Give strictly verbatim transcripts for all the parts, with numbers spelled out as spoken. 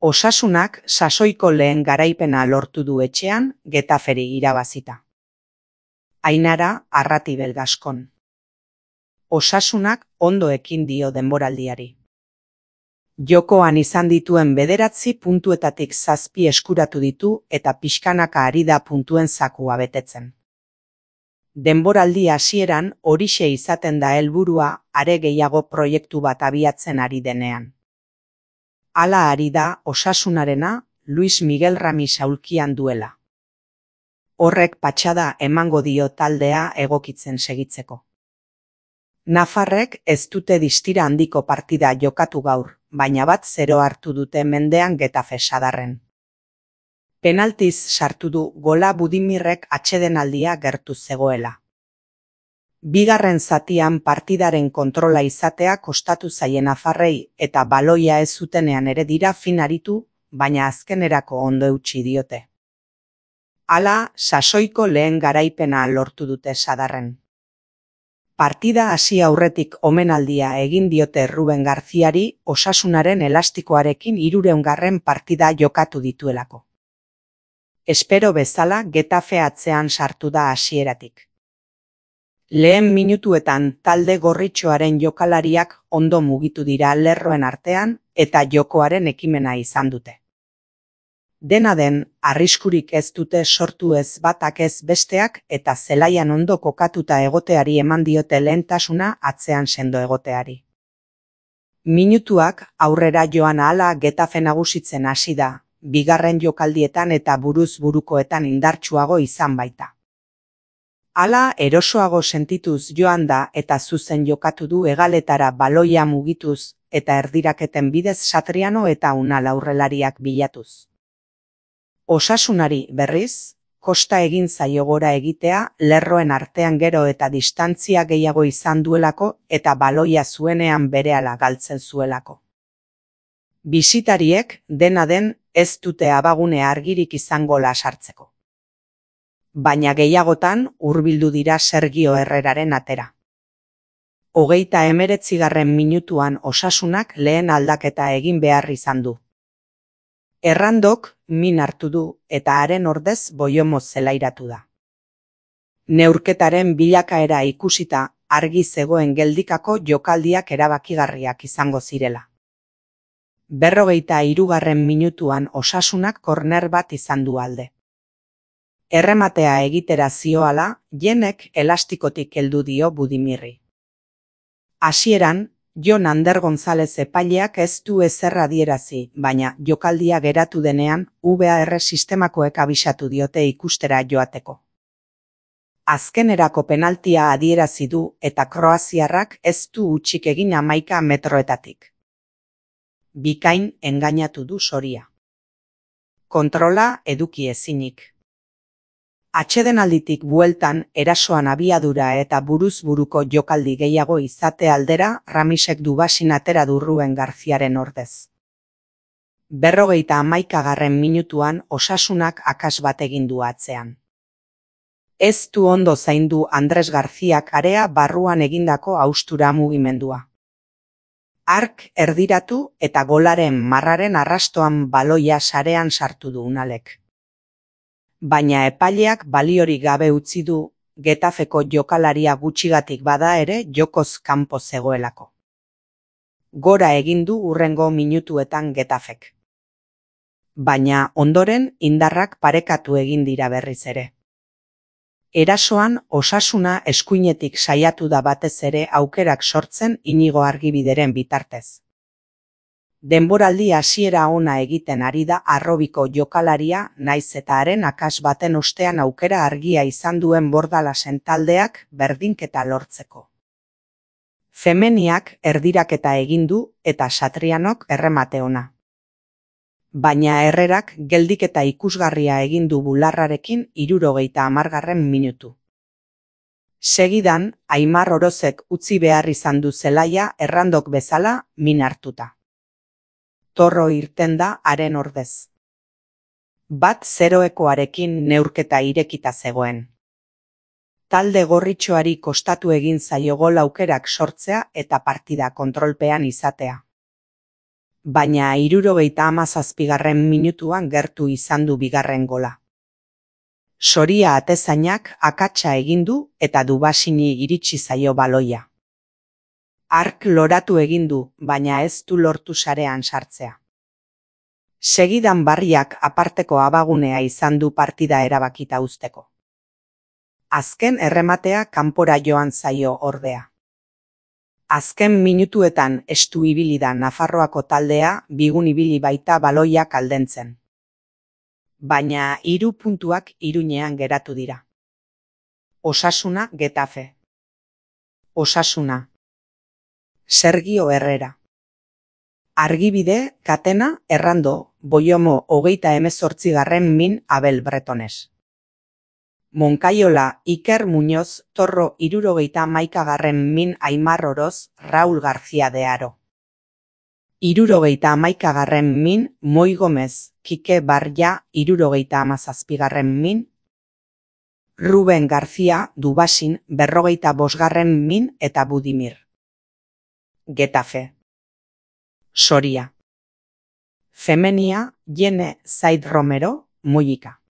Osasunak sasoiko lehen garaipena lortu du etxean Getaferi irabazita. Ainara Arratibel Gaskon. Osasunak ondo ekin dio denboraldiari. Jokoan izan dituen bederatzi puntuetatik zazpi eskuratu ditu eta pixkanaka ari da puntuen zakua betetzen. Denboraldi hasieran horixe izaten da helburua are gehiago proiektu bat abiatzen ari denean. Hala ari da Osasunarena Luis Miguel Ramis aulkian duela. Horrek patxada emango dio taldea egokitzen segitzeko. Nafarrek ez dute distira handiko partida jokatu gaur, baina bat zero hartu dute mendean Getafe sadarren. Penaltiz sartu du gola Budimirrek atsedenaldia gertu zegoela. Bigarren zatian partidaren kontrola izatea kostatu zaien nafarrei eta baloia ez zutenean ere dira fin aritu, baina azkenerako ondo eutsi diote. Hala, sasoiko lehen garaipena lortu dute sadarren. Partida hasi aurretik omenaldia egin diote Ruben Garziari Osasunaren elastikoarekin hirureungarren partida jokatu dituelako. Espero bezala Getafe atzean sartu da hasieratik. Lehen minutuetan talde gorritxoaren jokalariak ondo mugitu dira lerroen artean eta jokoaren ekimena izan dute. Dena den, arriskurik ez dute sortu ez batak ez besteak eta zelaian ondo kokatuta egoteari eman diote lehentasuna atzean sendo egoteari. Minutuak aurrera joan ahala Getafe nagusitzen hasi da, bigarren jokaldietan eta buruz burukoetan indartsuago izan baita. Hala erosoago sentituz joan da eta zuzen jokatu du hegaletara baloia mugituz eta erdiraketen bidez Satriano eta Unal aurrelariak bilatuz. Osasunari berriz, kosta egin zaio gora egitea lerroen artean gero eta distantzia gehiago izan duelako eta baloia zuenean berehala galtzen zuelako. Bisitariek dena den ez dute abagune argirik izango lasartzeko. Baina gehiagotan hurbildu dira Sergio Herreraren atera. Hogeita hemeretzigarren minutuan Osasunak lehen aldaketa egin behar izan du. Errandok min hartu du eta haren ordez Boiomo zelairatu da. Neurketaren bilakaera ikusita argi zegoen geldikako jokaldiak erabakigarriak izango zirela. Berrogeita hirugarren minutuan Osasunak korner bat izan du alde. Errematea egitera zioala, Jenek elastikotik heldu dio Budimirri. Hasieran, Jon Ander González epaileak ez du ezer adierazi, baina jokaldia geratu denean V A R sistemakoek abisatu diote ikustera joateko. Azkenerako penaltia adierazi du eta kroaziarrak ez du hutsik egin hamaika metroetatik. Bikain engainatu du Soria. Kontrola eduki ezinik. Atsedenalditik bueltan erasoan abiadura eta buruz buruko jokaldi gehiago izate aldera Ramisek du basin atera du Ruben Garziaren ordez. Berrogeita hamaikagarren minutuan Osasunak akas bat egin du atzean. Ez du ondo zaindu Andres Garziak area barruan egindako haustura mugimendua. Ark erdiratu eta golaren marraren arrastoan baloia sarean sartu du Unalek. Baina epaileak baliorik gabe utzi du, Getafeko jokalaria gutxigatik bada ere jokoz kanpo zegoelako. Gora egin du hurrengo minutuetan Getafek. Baina ondoren indarrak parekatu egin dira berriz ere. Erasoan Osasuna eskuinetik saiatu da batez ere aukerak sortzen Inigo Argibideren bitartez. Denboraldi hasiera ona egiten ari da Arrobiko jokalaria naiz eta haren akas baten ostean aukera argia izan duen Bordalasen taldeak berdinketa lortzeko. Femeniak erdiraketa egin du eta Satrianok erremate ona. Baina Herrerak geldiketa ikusgarria egin du bularrarekin hirurogeita hamargarren minutu. Segidan, Aimar Orozek utzi behar izan du zelaia Errandok bezala min hartuta. Torro irten da haren ordez. Bat zeroekoarekin neurketa irekita zegoen. Talde gorritxoari kostatu egin zaio gol aukerak sortzea eta partida kontrolpean izatea. baina hirurogeita hamazazpigarren minutuan gertu izan du bigarren gola. Soria atezainak akatsa egin du eta Dubasini iritsi zaio baloia. Hark loratu egin du, baina ez du lortu sarean sartzea. Segidan Barriak aparteko abagunea izan du partida erabakita uzteko. Azken errematea kanpora joan zaio ordea. Azken minutuetan estu ibili da Nafarroako taldea, bigun ibili baita baloiak aldentzen. Baina hiru puntuak Iruñean geratu dira. Osasuna Getafe. Osasuna. Sergio Herrera. Argibide, Katena, Errando, Boiomo hogeita hemezortzigarren min Abel Bretones. Monkaiola, Iker Muñoz, Torro hirurogeita hamaikagarren min Aimar Oroz, Raúl García de Haro. Hirurogeita hamaikagarren min Moi Gomez, Kike Barja hirurogeita hamazazpigarren min Ruben García, Dubasin berrogeita bosgarren min eta Budimir. Getafe. Soria. Femenia, Jene Zaid Romero, Mollika.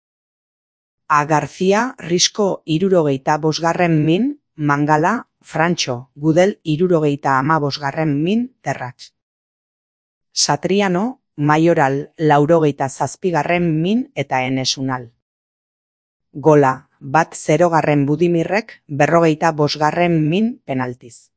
A García, Risco hirurogeita bosgarren min, Mangala, Frantxo, Gudel hirurogeita hamabosgarren min, Terratx. Satriano, Mayoral laurogeita zazpigarren min eta Enesunal. Gola, bat zerogarren Budimirrek berrogeita bosgarren min penaltiz.